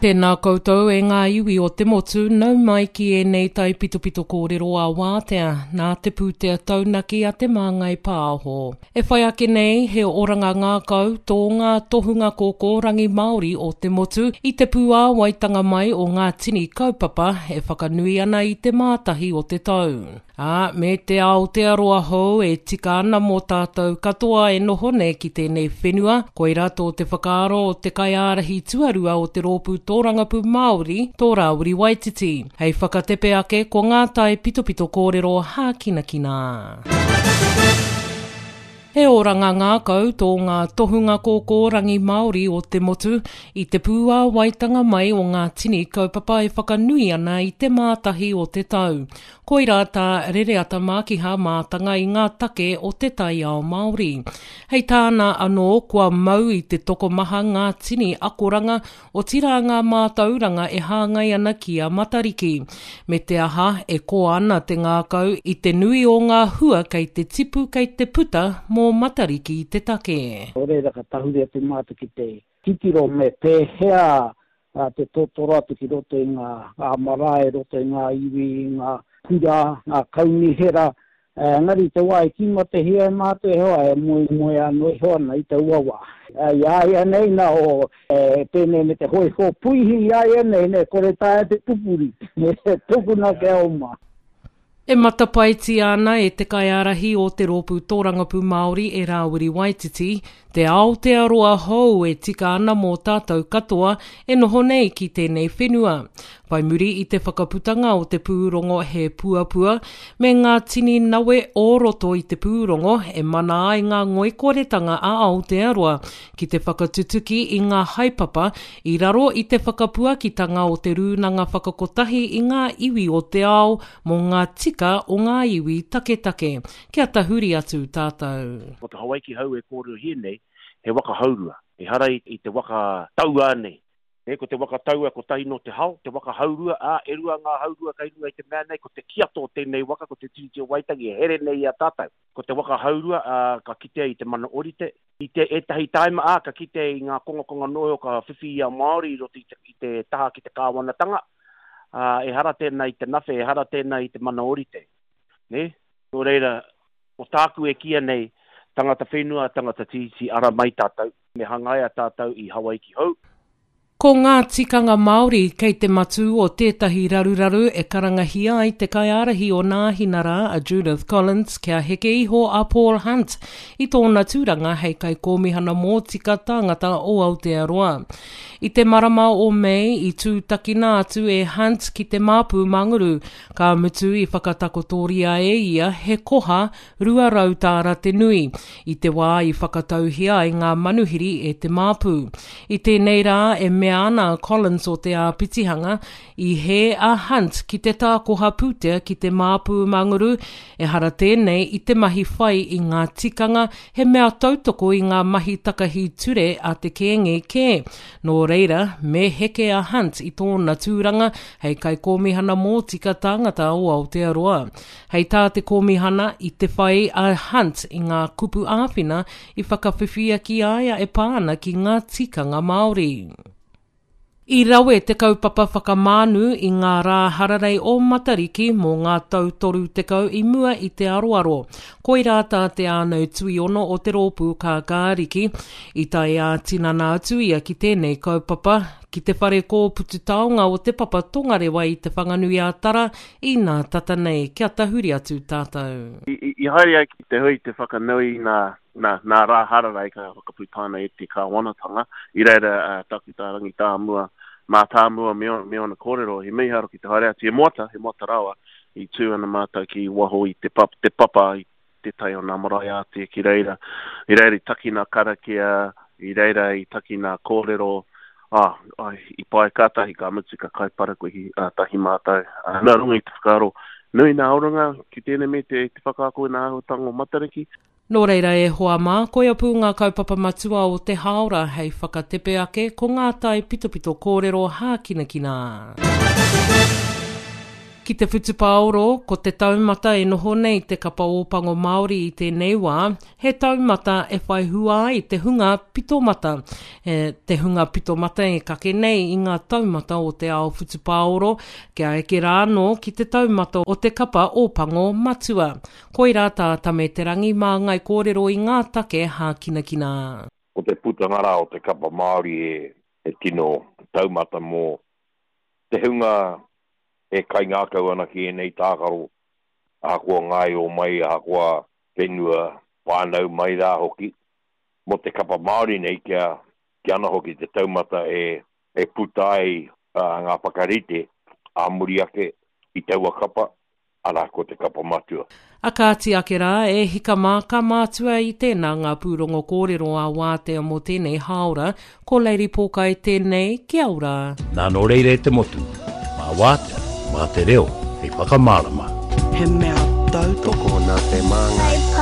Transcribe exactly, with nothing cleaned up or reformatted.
Tēnā koutou e ngā iwi o te motu, nau mai ki ēnei taipitopito kōrero a wātea, nā te pūtea taunaki a Te Māngai Pāho. E whai ake nei, he oranga ngākau tō ngā tohunga kōkōrangi Māori o te motu i te pūāwaitanga mai o ngā tini kaupapa e whakanui ana i te mātahi o te tau. Ā, me te Aotearoa hou e tika ana mō tātou katoa e noho nei ki tēnei whenua, koirā tō te whakaaro o te kaiārahi tuarua o te Rōpū Tōrangapū Māori, tō Rāwiri Waititi. Hei whakatepe ake ko ngā taipitopito kōrero hākinakina. He oranga ngākau tō ngā tohunga kōkōrangi Māori o te motu i te pūāwaitanga mai o ngā tini kaupapa e whakanui ana i te mātahi o te tau. Koirā tā Rereata Mākiha mātanga i ngā take o te taiao Māori. Hei tāna anō kua mau i te tokomaha ngā tini akoranga otirā ngā mātauranga e hāngai ana ki a Matariki. Me te aha, e koa ana te ngākau i te nui o ngā hua kei te tipu kei te puta mō Matariki te take. Nō reira ka tahuri atu mātou ki te titiro me pēhea te totoro atu ki roto i ngā marae, roto i ngā iwi, i ngā kura, ngā kaunihera, engari i te wā i tīmatahia e mātou e hoa, e moemoe anō iho ana i taua wā. I a ia nei nā o pēnei me te hōiho puihi i a ia nei, nei kore taea te pupuri, tukuna kia oma. E matapaetia ana e te kaiārahi o te Rōpū Tōrangapū Māori e Rāwiri Waititi, te Aotearoa hou e tika ana mō tātou katoa e noho nei ki tēnei whenua. Whai muri i te whakaputanga o te pūrongo He Puapua, me ngā tini nawe o roto i te pūrongo e mana ai ngā ngoikoretanga a Aotearoa ki te whakatutuki i ngā haepapa i raro i te whakapuakitanga o te Rūnanga Whakakotahi i ngā iwi o te ao mō ngā tika o ngā iwi taketake. Kia tahuri atu tātou. Ko te Hawaiki hou e kōrerohia nei, he waka haurua. Ehara i te waka tauā nei. E, ko te waka taua kotahi nō te hao, te waka haurua, ā, e rua ngā haurua kei runga i te mea nei, ko te kiato o tēnei waka, ko te Tiriti o Waitangi e here nei i a tātou. Ko te waka haurua, ā, ka kitea i te mana orite, i te ētahi tāima, ā, ka kitea i ngā kongakonga noho ka whiwhi i a Māori i roto i te, i te taha ki te kāwanatanga, ā, ehara tēnā i te nawhe, ehara tēnā i te mana orite. Nē? Nō reira, ko tāku e kīia nei, tangata whenua, tangata tiriti, ara mai tātou, me hangaia tātou i Hawaiki hou. Ko ngā tikanga Māori kei te matū o tētahi raruraru e karangahia ai te kaiārahi o Nāhinara a Judith Collins kia heke iho a Paul Hunt i tōna tūranga hei kaikōmihana mōtika tāngata o Aotearoa. I te marama o Mei i tūtakina atu e Hunt ki te Māpu Manguru, ka mutu i whakatakotoria e ia he koha rua rau tāra te nui, i te wā i whakatauhia ai ngā manuhiri e te Māpu. I tēnei rā e mea ana a Collins o te āpitihanga, i hē a Hunt ki te tākoha pūtea ki te Māpu Manguru, ehara tēnei i te mahi whai i ngā tikanga, he mea tautoko i ngā mahi takahi ture a te Kēnge kē. Nō reira, me heke a Hunt i tōna tūranga hei kaikōmihana mōtika tāngata o Aotearoa. Hei tā te kōmihana, i te whai a Hunt i ngā kupu āwhina i whakawhiwhia ki a ia e pā ana ki ngā tikanga Māori. I rawe te kaupapa whakamānu i ngā rā hararei o Matariki mō ngā tau toru tekau i mua i te aroaro. Koirā tā Te Ānau Tuiono o te rōpū Kākāriki. I tae ā-tinana atu ia ki tēnei kaupapa, ki te whare kōputu taonga o Te Papa Tongarewa i Te Whanganui-ā-Tara i nā tata nei. Kia tahuri atu tātou. I, i haere ai ki te hui te whakanui nā, nā, nā rā hararei ka whakaputaina e te kāwanatanga. I reira uh, Takuta Rangitāmua, Mātāmua me, me ona kōrero, he mīharo ki te haere atu. He moata, he moata rawa, i tū ana mātou ki waho i te, pap, te papa, i te tai o nā marae ātea ki reira. I reira i taki nā karakia, i reira i taki nā kōrero, ah, ai, i pai kātahi ka mutu ka kai parakuihi uh, tahi mātou. Uh, nā runga i te whakaaro, nui nā oranga ki tēnei me te, te whakaako i nā āhuatanga o Matariki. Nō reira e hoa mā, koia pū ngā kaupapa matua o te hāora hei whakatepe ake ko ngā taipitopito kōrero hākinakina. Ki te whutupaoro, ko te taumata e noho nei te kapa Ōpango Māori i tēnei wā, he taumata e whai hua ai te hunga pitomata. E, te hunga pitomata e kake nei i ngā taumata o te ao whutupaoro, kia eke rā anō ki te taumata o te kapa Ōpango matua. Koirā tā Tame Te Rangi māngai kōrero i ngā take hākinakina. Ko te putanga rā o te kapa Māori he, he tino taumata mō te hunga e kaingākau ana ki ēnei tākaro, ahakoa ngaio mai, ahakoa whenua whānau mai rā hoki, mō te kapa Māori nei kia, kia ana hoki te taumata e, e puta ai uh, ngā whakarite ā muri ake i taua kapa, arā ko te kapa matua. A kāti ake rā, e hika mā ka mātua i tēnā ngā pūrongo kōrero a Wātea mō tēnei hāora, ko Lady Pōkai tēnei, kia ora. Nā nō reira e te motu, mā Wātea, mā te reo, hei whakamārama. He mea tautoko Tokona te māngai.